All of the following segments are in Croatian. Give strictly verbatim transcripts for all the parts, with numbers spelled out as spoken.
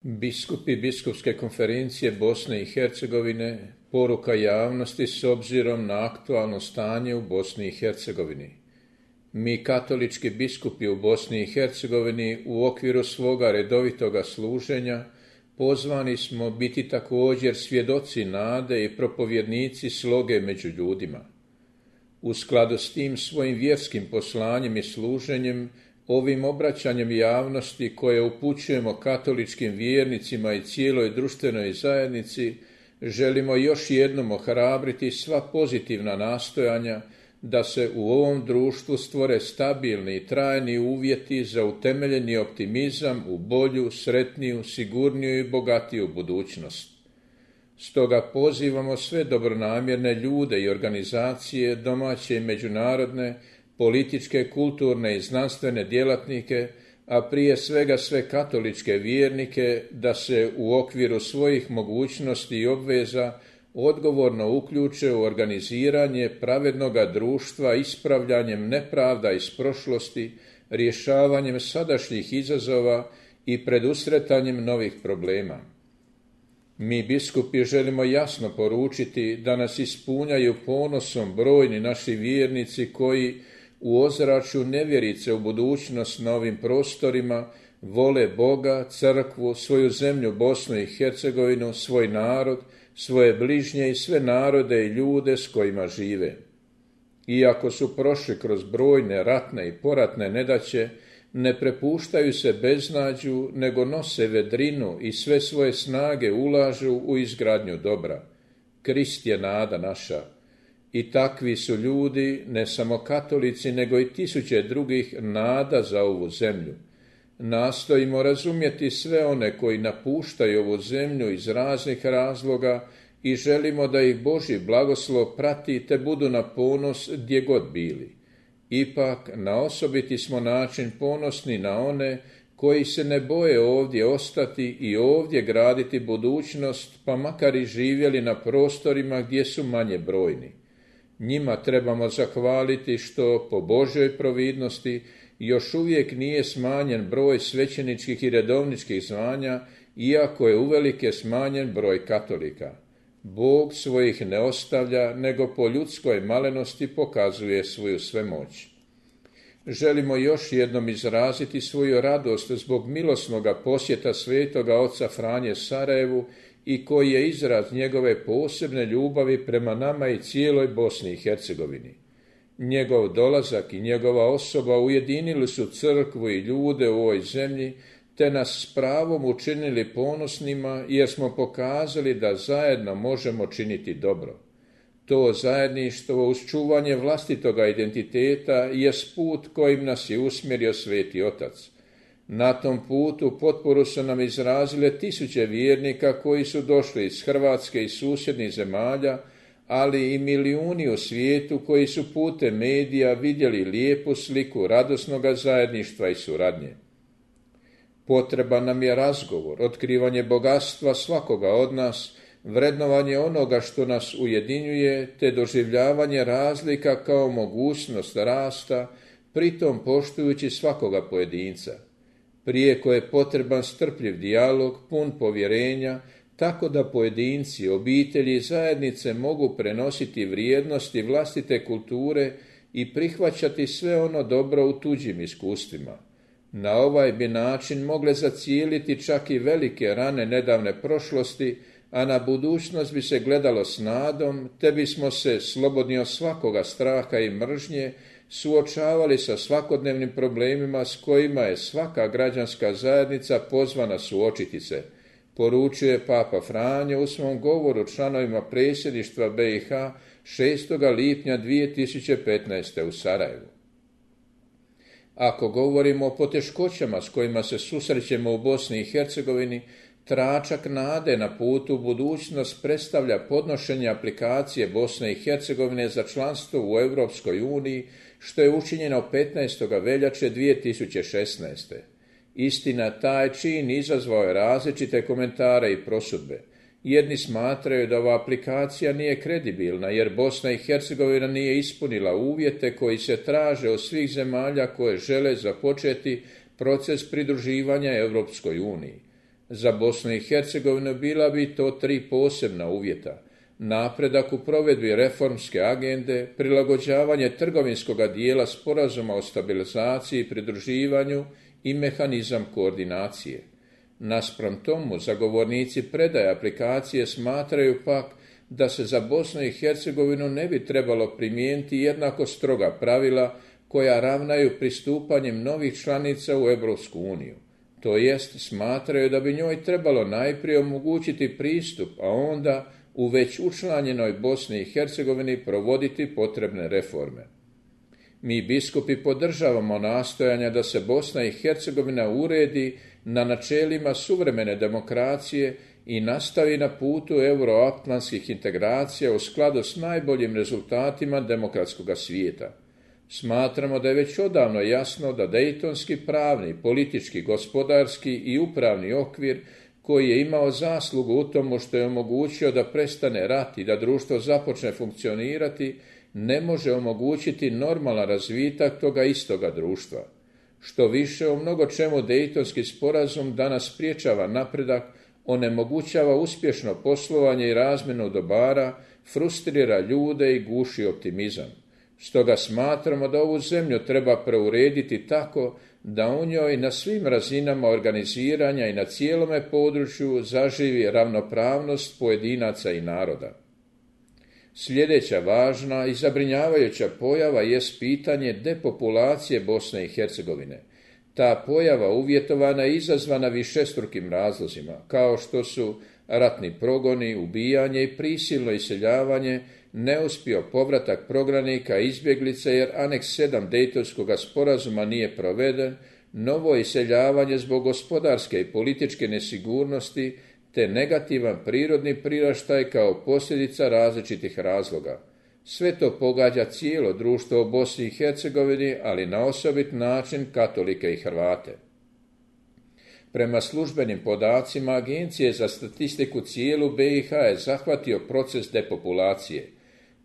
Biskupi Biskupske konferencije Bosne i Hercegovine, poruka javnosti s obzirom na aktualno stanje u Bosni i Hercegovini. Mi katolički biskupi u Bosni i Hercegovini u okviru svoga redovitoga služenja pozvani smo biti također svjedoci nade i propovjednici sloge među ljudima. U skladu s tim svojim vjerskim poslanjem i služenjem, ovim obraćanjem javnosti koje upućujemo katoličkim vjernicima i cijeloj društvenoj zajednici, želimo još jednom ohrabriti sva pozitivna nastojanja da se u ovom društvu stvore stabilni i trajni uvjeti za utemeljeni optimizam u bolju, sretniju, sigurniju i bogatiju budućnost. Stoga pozivamo sve dobronamjerne ljude i organizacije, domaće i međunarodne, političke, kulturne i znanstvene djelatnike, a prije svega sve katoličke vjernike, da se u okviru svojih mogućnosti i obveza odgovorno uključe u organiziranje pravednoga društva ispravljanjem nepravda iz prošlosti, rješavanjem sadašnjih izazova i predusretanjem novih problema. Mi biskupi želimo jasno poručiti da nas ispunjaju ponosom brojni naši vjernici koji u ozračju nevjerice u budućnost na ovim prostorima vole Boga, crkvu, svoju zemlju Bosnu i Hercegovinu, svoj narod, svoje bližnje i sve narode i ljude s kojima žive. Iako su prošli kroz brojne ratne i poratne nedaće, ne prepuštaju se beznađu, nego nose vedrinu i sve svoje snage ulažu u izgradnju dobra. Krist je nada naša. I takvi su ljudi, ne samo katolici, nego i tisuće drugih nada za ovu zemlju. Nastojimo razumjeti sve one koji napuštaju ovu zemlju iz raznih razloga i želimo da ih Božji blagoslov prati te budu na ponos gdje god bili. Ipak, na osobiti smo način ponosni na one koji se ne boje ovdje ostati i ovdje graditi budućnost, pa makar i živjeli na prostorima gdje su manje brojni. Njima trebamo zahvaliti što, po Božjoj providnosti, još uvijek nije smanjen broj svećeničkih i redovničkih zvanja, iako je uvelike smanjen broj katolika. Bog svojih ne ostavlja, nego po ljudskoj malenosti pokazuje svoju svemoć. Želimo još jednom izraziti svoju radost zbog milosnoga posjeta svetoga oca Franje Sarajevu i koji je izraz njegove posebne ljubavi prema nama i cijeloj Bosni i Hercegovini. Njegov dolazak i njegova osoba ujedinili su crkvu i ljude u ovoj zemlji, te nas s pravom učinili ponosnima jer smo pokazali da zajedno možemo činiti dobro. To zajedništvo uz čuvanje vlastitoga identiteta je put kojim nas je usmjerio Sveti Otac. Na tom putu potporu su nam izrazile tisuće vjernika koji su došli iz Hrvatske i susjednih zemalja, ali i milijuni u svijetu koji su putem medija vidjeli lijepu sliku radosnoga zajedništva i suradnje. Potreban nam je razgovor, otkrivanje bogatstva svakoga od nas, vrednovanje onoga što nas ujedinjuje, te doživljavanje razlika kao mogućnost rasta, pritom poštujući svakoga pojedinca. Prijeko je potreban strpljiv dijalog, pun povjerenja, tako da pojedinci, obitelji i zajednice mogu prenositi vrijednosti vlastite kulture i prihvaćati sve ono dobro u tuđim iskustvima. Na ovaj bi način mogle zacijeliti čak i velike rane nedavne prošlosti, a na budućnost bi se gledalo s nadom, te bismo se, slobodni od svakoga straha i mržnje, suočavali sa svakodnevnim problemima s kojima je svaka građanska zajednica pozvana suočiti se, poručuje Papa Franjo u svom govoru članovima predsjedništva B i H šestog lipnja dvije tisuće petnaeste. u Sarajevu. Ako govorimo o poteškoćama s kojima se susrećemo u Bosni i Hercegovini, tračak nade na putu u budućnost predstavlja podnošenje aplikacije Bosne i Hercegovine za članstvo u Europskoj uniji, što je učinjeno petnaestog veljače dvije tisuće šesnaeste. Istina, taj čin izazvao je različite komentare i prosudbe. Jedni smatraju da ova aplikacija nije kredibilna jer Bosna i Hercegovina nije ispunila uvjete koji se traže od svih zemalja koje žele započeti proces pridruživanja Europskoj uniji. Za Bosnu i Hercegovinu bila bi to tri posebna uvjeta: napredak u provedbi reformske agende, prilagođavanje trgovinskoga dijela sporazuma o stabilizaciji i pridruživanju i mehanizam koordinacije. Naspram tomu, zagovornici predaje aplikacije smatraju pak da se za Bosnu i Hercegovinu ne bi trebalo primijeniti jednako stroga pravila koja ravnaju pristupanjem novih članica u Europsku uniju. To jest, smatraju da bi njoj trebalo najprije omogućiti pristup, a onda u već učlanjenoj Bosni i Hercegovini provoditi potrebne reforme. Mi biskupi podržavamo nastojanja da se Bosna i Hercegovina uredi na načelima suvremene demokracije i nastavi na putu euroatlantskih integracija u skladu s najboljim rezultatima demokratskog svijeta. Smatramo da je već odavno jasno da dejtonski pravni, politički, gospodarski i upravni okvir koji je imao zaslugu u tomu što je omogućio da prestane rat i da društvo započne funkcionirati, ne može omogućiti normalan razvitak toga istoga društva. Što više, u mnogo čemu Dejtonski sporazum danas spriječava napredak, onemogućava uspješno poslovanje i razmjenu dobara, frustrira ljude i guši optimizam. Stoga smatramo da ovu zemlju treba preurediti tako da u njoj na svim razinama organiziranja i na cijelome području zaživi ravnopravnost pojedinaca i naroda. Sljedeća važna i zabrinjavajuća pojava jest pitanje depopulacije Bosne i Hercegovine. Ta pojava uvjetovana i izazvana višestrukim razlozima, kao što su ratni progoni, ubijanje i prisilno iseljavanje, neuspio povratak prognanika i izbjeglica jer aneks sedam Dejtonskog sporazuma nije proveden, novo iseljavanje zbog gospodarske i političke nesigurnosti, te negativan prirodni priraštaj kao posljedica različitih razloga. Sve to pogađa cijelo društvo u Bosni i Hercegovini, ali na osobit način katolike i Hrvate. Prema službenim podacima Agencije za statistiku cijelu B i H je zahvatio proces depopulacije.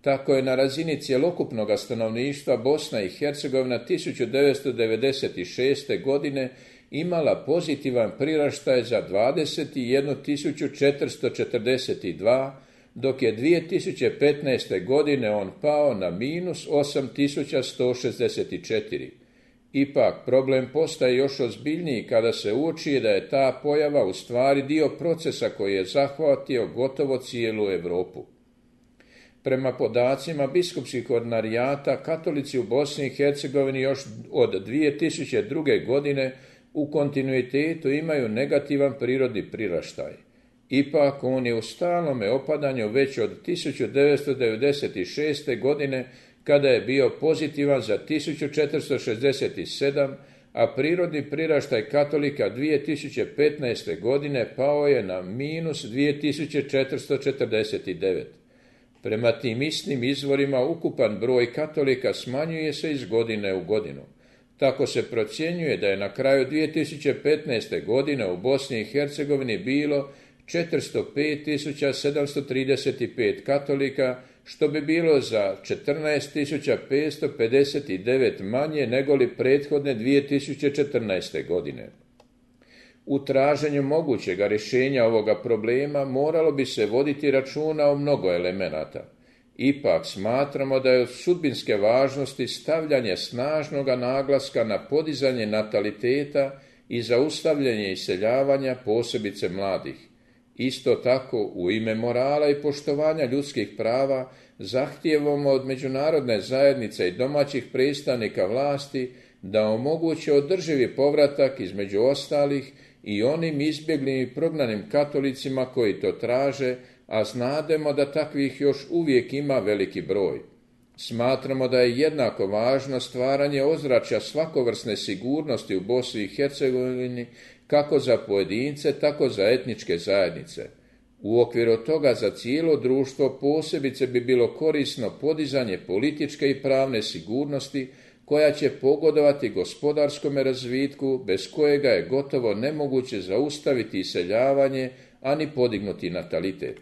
Tako je na razini cjelokupnog stanovništva Bosna i Hercegovina tisuću devetsto devedeset šeste. godine imala pozitivan priraštaj za dvadeset jednu tisuću četiristo četrdeset dva, dok je dvije tisuće petnaeste. godine on pao na minus osam tisuća sto šezdeset četiri. Ipak, problem postaje još ozbiljniji kada se uoči da je ta pojava u stvari dio procesa koji je zahvatio gotovo cijelu Europu. Prema podacima biskupskih ordinarijata, katolici u Bosni i Hercegovini još od dvije tisuće druge. godine u kontinuitetu imaju negativan prirodni priraštaj. Ipak, on je u stalnome opadanju već od tisuću devetsto devedeset šeste. godine, kada je bio pozitivan za tisuću četiristo šezdeset sedam, a prirodni priraštaj katolika dvije tisuće petnaeste. godine pao je na minus dvije tisuće četiristo četrdeset devet. Prema tim istim izvorima ukupan broj katolika smanjuje se iz godine u godinu. Tako se procjenjuje da je na kraju dvije tisuće petnaeste. godine u Bosni i Hercegovini bilo četiristo pet tisuća sedamsto trideset pet katolika, što bi bilo za četrnaest tisuća petsto pedeset devet manje negoli prethodne dvije tisuće četrnaeste. godine. U traženju mogućega rješenja ovoga problema moralo bi se voditi računa o mnogo elemenata. Ipak smatramo da je od sudbinske važnosti stavljanje snažnoga naglaska na podizanje nataliteta i zaustavljanje iseljavanja, posebice mladih. Isto tako, u ime morala i poštovanja ljudskih prava, zahtijevamo od međunarodne zajednice i domaćih predstavnika vlasti da omoguće održivi povratak između ostalih i onim izbjeglim i prognanim katolicima koji to traže, a znademo da takvih još uvijek ima veliki broj. Smatramo da je jednako važno stvaranje ozračja svakovrsne sigurnosti u Bosni i Hercegovini, kako za pojedince, tako za etničke zajednice. U okviru toga za cijelo društvo posebice bi bilo korisno podizanje političke i pravne sigurnosti koja će pogodovati gospodarskom razvitku, bez kojega je gotovo nemoguće zaustaviti iseljavanje, a ni podignuti natalitet.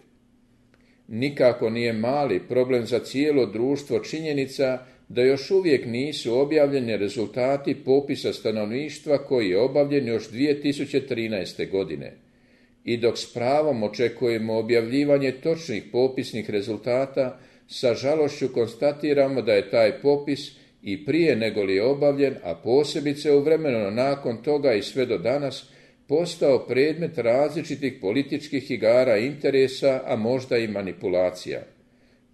Nikako nije mali problem za cijelo društvo činjenica da još uvijek nisu objavljeni rezultati popisa stanovništva koji je obavljen još dvije tisuće trinaeste. godine. I dok s pravom očekujemo objavljivanje točnih popisnih rezultata, sa žalošću konstatiramo da je taj popis i prije nego li je obavljen, a posebice u vremenu nakon toga i sve do danas, postao predmet različitih političkih igara i interesa, a možda i manipulacija.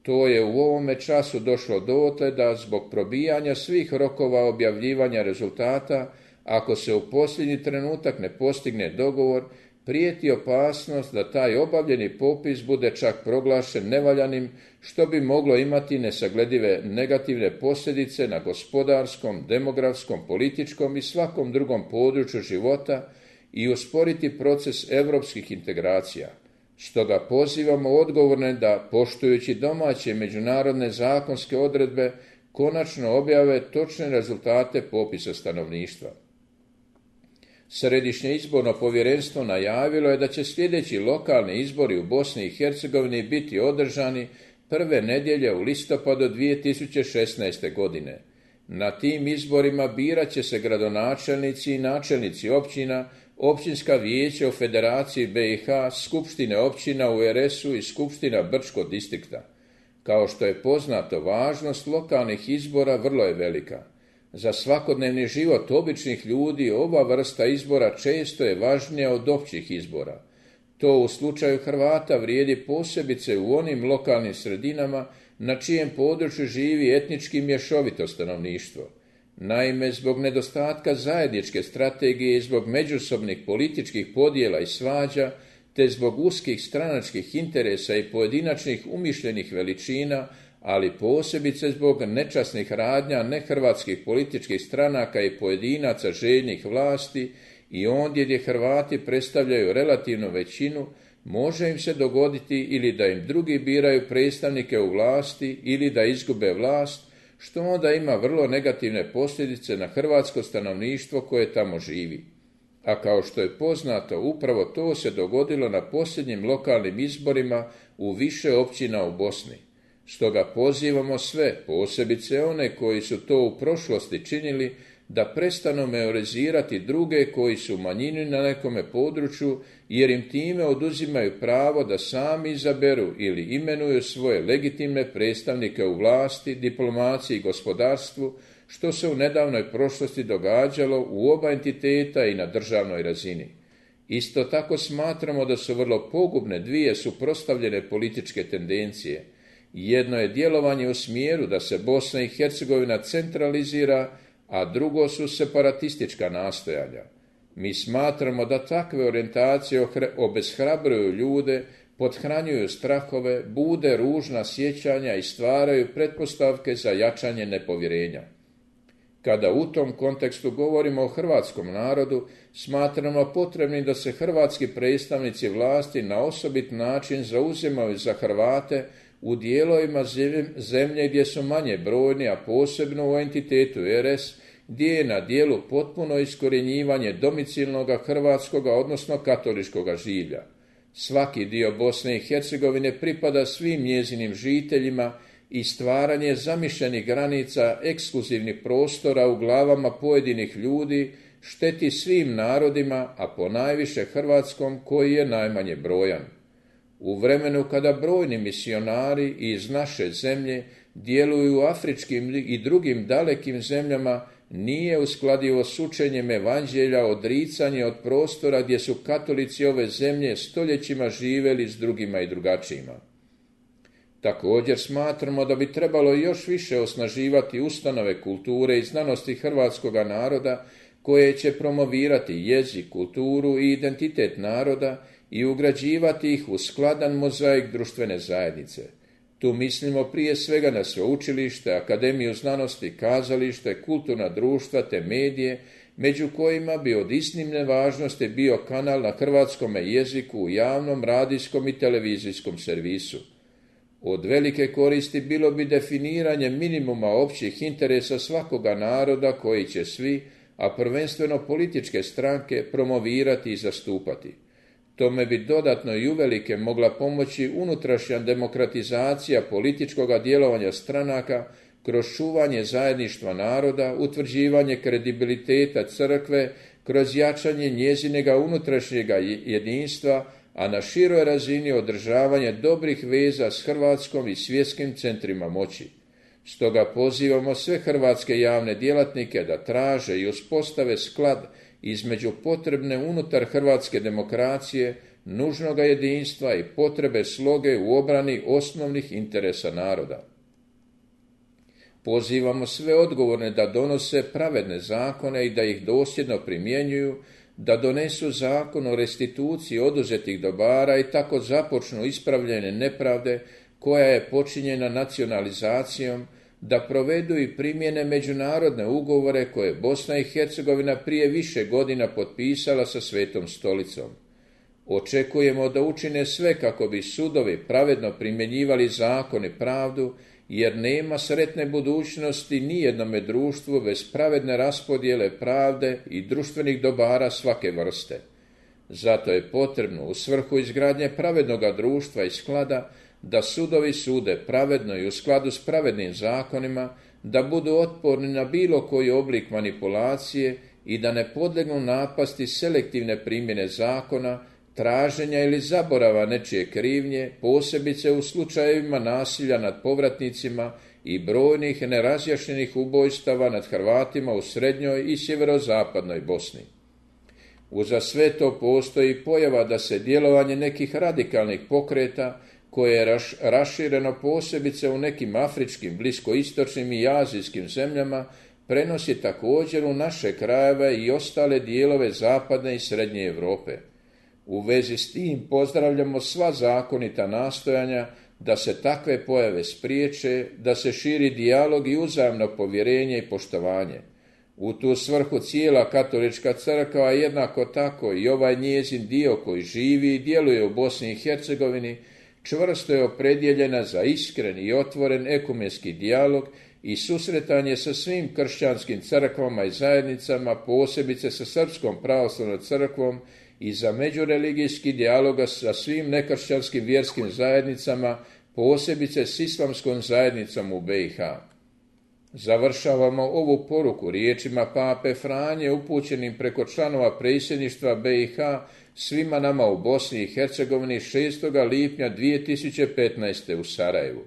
To je u ovome času došlo dotle da zbog probijanja svih rokova objavljivanja rezultata, ako se u posljednji trenutak ne postigne dogovor, prijeti opasnost da taj obavljeni popis bude čak proglašen nevaljanim, što bi moglo imati nesagledive negativne posljedice na gospodarskom, demografskom, političkom i svakom drugom području života i usporiti proces europskih integracija. Stoga pozivamo odgovorne da, poštujući domaće međunarodne zakonske odredbe, konačno objave točne rezultate popisa stanovništva. Središnje izborno povjerenstvo najavilo je da će sljedeći lokalni izbori u Bosni i Hercegovini biti održani prve nedjelje u listopadu dvije tisuće šesnaeste. godine. Na tim izborima birat će se gradonačelnici i načelnici općina, općinska vijeća u Federaciji be i ha, skupštine općina u er es u i skupština Brčkog distrikta. Kao što je poznato, važnost lokalnih izbora vrlo je velika. Za svakodnevni život običnih ljudi ova vrsta izbora često je važnija od općih izbora. To u slučaju Hrvata vrijedi posebice u onim lokalnim sredinama na čijem području živi etnički mješovito stanovništvo. Naime, zbog nedostatka zajedničke strategije i zbog međusobnih političkih podjela i svađa, te zbog uskih stranačkih interesa i pojedinačnih umišljenih veličina, ali posebice zbog nečasnih radnja nehrvatskih političkih stranaka i pojedinaca željnih vlasti i ondje gdje Hrvati predstavljaju relativnu većinu, može im se dogoditi ili da im drugi biraju predstavnike u vlasti ili da izgube vlast, što onda ima vrlo negativne posljedice na hrvatsko stanovništvo koje tamo živi. A kao što je poznato, upravo to se dogodilo na posljednjim lokalnim izborima u više općina u Bosni. Stoga pozivamo sve, posebice one koji su to u prošlosti činili, da prestanu meorizirati druge koji su u manjini na nekome području, jer im time oduzimaju pravo da sami izaberu ili imenuju svoje legitimne predstavnike u vlasti, diplomaciji i gospodarstvu, što se u nedavnoj prošlosti događalo u oba entiteta i na državnoj razini. Isto tako smatramo da su vrlo pogubne dvije suprotstavljene političke tendencije. Jedno je djelovanje u smjeru da se Bosna i Hercegovina centralizira, a drugo su separatistička nastojanja. Mi smatramo da takve orijentacije obeshrabruju ljude, pothranjuju strahove, bude ružna sjećanja i stvaraju pretpostavke za jačanje nepovjerenja. Kada u tom kontekstu govorimo o hrvatskom narodu, smatramo potrebnim da se hrvatski predstavnici vlasti na osobit način zauzimaju za Hrvate u dijelovima zemlje gdje su manje brojni, a posebno u entitetu er es, gdje je na dijelu potpuno iskorjenjivanje domicilnoga hrvatskoga, odnosno katoličkoga življa. Svaki dio Bosne i Hercegovine pripada svim njezinim žiteljima i stvaranje zamišljenih granica ekskluzivnih prostora u glavama pojedinih ljudi šteti svim narodima, a ponajviše hrvatskom koji je najmanje brojan. U vremenu kada brojni misionari iz naše zemlje djeluju u afričkim i drugim dalekim zemljama, nije uskladivo s učenjem evanđelja odricanje od prostora gdje su katolici ove zemlje stoljećima živjeli s drugima i drugačijima. Također smatramo da bi trebalo još više osnaživati ustanove kulture i znanosti hrvatskoga naroda koje će promovirati jezik, kulturu i identitet naroda i ugrađivati ih u skladan mozaik društvene zajednice. Tu mislimo prije svega na sveučilište, akademiju znanosti, kazalište, kulturna društva te medije, među kojima bi od iznimne važnosti bio kanal na hrvatskom jeziku u javnom radijskom i televizijskom servisu. Od velike koristi bilo bi definiranje minimuma općih interesa svakoga naroda koji će svi, a prvenstveno političke stranke, promovirati i zastupati. Tome bi dodatno i uvelike mogla pomoći unutrašnja demokratizacija političkoga djelovanja stranaka kroz čuvanje zajedništva naroda, utvrđivanje kredibiliteta crkve kroz jačanje njezinega unutrašnjega jedinstva, a na široj razini održavanje dobrih veza s Hrvatskom i svjetskim centrima moći. Stoga pozivamo sve hrvatske javne djelatnike da traže i uspostave sklad između potrebne unutar hrvatske demokracije, nužnoga jedinstva i potrebe sloge u obrani osnovnih interesa naroda. Pozivamo sve odgovorne da donose pravedne zakone i da ih dosljedno primjenjuju, da donesu zakon o restituciji oduzetih dobara i tako započnu ispravljene nepravde koja je počinjena nacionalizacijom, da provedu i primjene međunarodne ugovore koje Bosna i Hercegovina prije više godina potpisala sa Svetom stolicom. Očekujemo da učine sve kako bi sudovi pravedno primjenjivali zakon i pravdu, jer nema sretne budućnosti nijednome društvu bez pravedne raspodjele pravde i društvenih dobara svake vrste. Zato je potrebno u svrhu izgradnje pravednoga društva i sklada da sudovi sude pravedno i u skladu s pravednim zakonima, da budu otporni na bilo koji oblik manipulacije i da ne podlegnu napasti selektivne primjene zakona, traženja ili zaborava nečije krivnje, posebice u slučajevima nasilja nad povratnicima i brojnih nerazjašnjenih ubojstava nad Hrvatima u srednjoj i sjeverozapadnoj Bosni. Uza sve to postoji pojava da se djelovanje nekih radikalnih pokreta, koje je raš, rašireno posebice u nekim afričkim, bliskoistočnim i azijskim zemljama, prenosi također u naše krajeve i ostale dijelove zapadne i srednje Europe. U vezi s tim pozdravljamo sva zakonita nastojanja da se takve pojave spriječe, da se širi dijalog i uzajamno povjerenje i poštovanje. U tu svrhu cijela katolička crkva, a jednako tako i ovaj njezin dio koji živi i djeluje u Bosni i Hercegovini, čvrsto je opredjeljena za iskren i otvoren ekumenski dijalog i susretanje sa svim kršćanskim crkvama i zajednicama, posebice sa Srpskom pravoslavnom crkvom, i za međureligijski dijaloga sa svim nekršćanskim vjerskim zajednicama, posebice s islamskom zajednicom u be i ha. Završavamo ovu poruku riječima pape Franje upućenim preko članova predsjedništva be i ha svima nama u Bosni i Hercegovini šestog lipnja dvije tisuće petnaeste. u Sarajevu.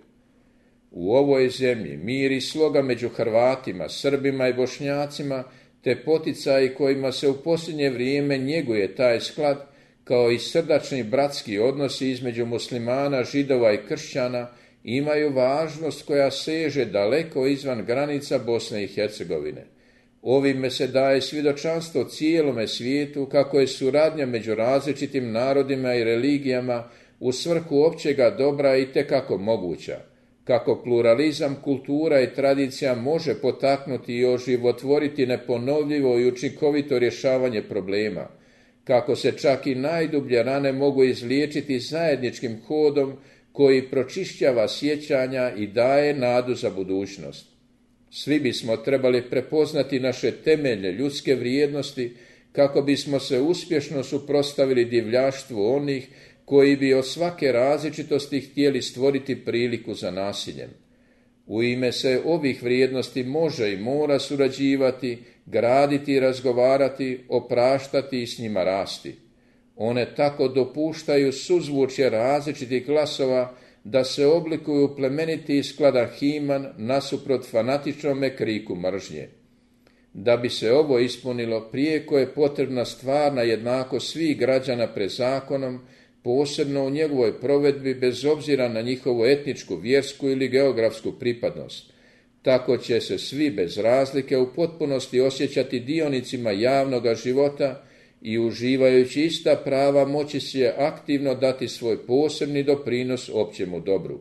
U ovoj zemlji mir i sloga među Hrvatima, Srbima i Bošnjacima, te poticaji kojima se u posljednje vrijeme njeguje taj sklad, kao i srdačni bratski odnosi između muslimana, židova i kršćana, imaju važnost koja seže daleko izvan granica Bosne i Hercegovine. Ovime se daje svjedočanstvo cijelome svijetu kako je suradnja među različitim narodima i religijama u svrhu općega dobra itekako moguća, kako pluralizam kultura i tradicija može potaknuti i oživotvoriti neponovljivo i učinkovito rješavanje problema, kako se čak i najdublje rane mogu izliječiti zajedničkim hodom koji pročišćava sjećanja i daje nadu za budućnost. Svi bismo trebali prepoznati naše temeljne ljudske vrijednosti kako bismo se uspješno suprotstavili divljaštvu onih koji bi od svake različitosti htjeli stvoriti priliku za nasiljem. U ime se ovih vrijednosti može i mora surađivati, graditi i razgovarati, opraštati i s njima rasti. One tako dopuštaju suzvučje različitih glasova da se oblikuju plemeniti i skladan himan nasuprot fanatičnome kriku mržnje. Da bi se ovo ispunilo, prijeko je potrebna stvarna jednakost svih građana pred zakonom, posebno u njegovoj provedbi bez obzira na njihovu etničku, vjersku ili geografsku pripadnost. Tako će se svi bez razlike u potpunosti osjećati dionicima javnoga života i uživajući ista prava moći će aktivno dati svoj posebni doprinos općemu dobru.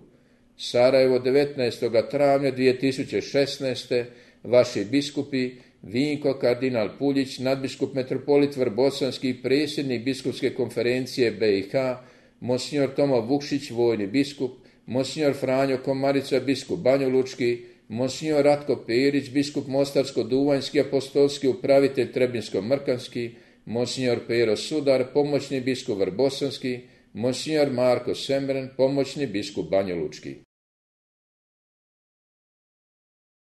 Sarajevo, devetnaestog travnja dvije tisuće šesnaeste. Vaši biskupi Vinko kardinal Puljić, nadbiskup metropolit Vrbosanski i predsjednik biskupske konferencije be i ha, monsignor Tomo Vukšić, vojni biskup, monsignor Franjo Komarica, biskup Banjalučki, monsignor Ratko Perić, biskup Mostarsko-Duvanjski, apostolski upravitelj Trebinsko-Mrkanski, monsignor Pero Sudar, pomoćni biskup Vrbosanski, monsignor Marko Semren, pomoćni biskup Banjalučki.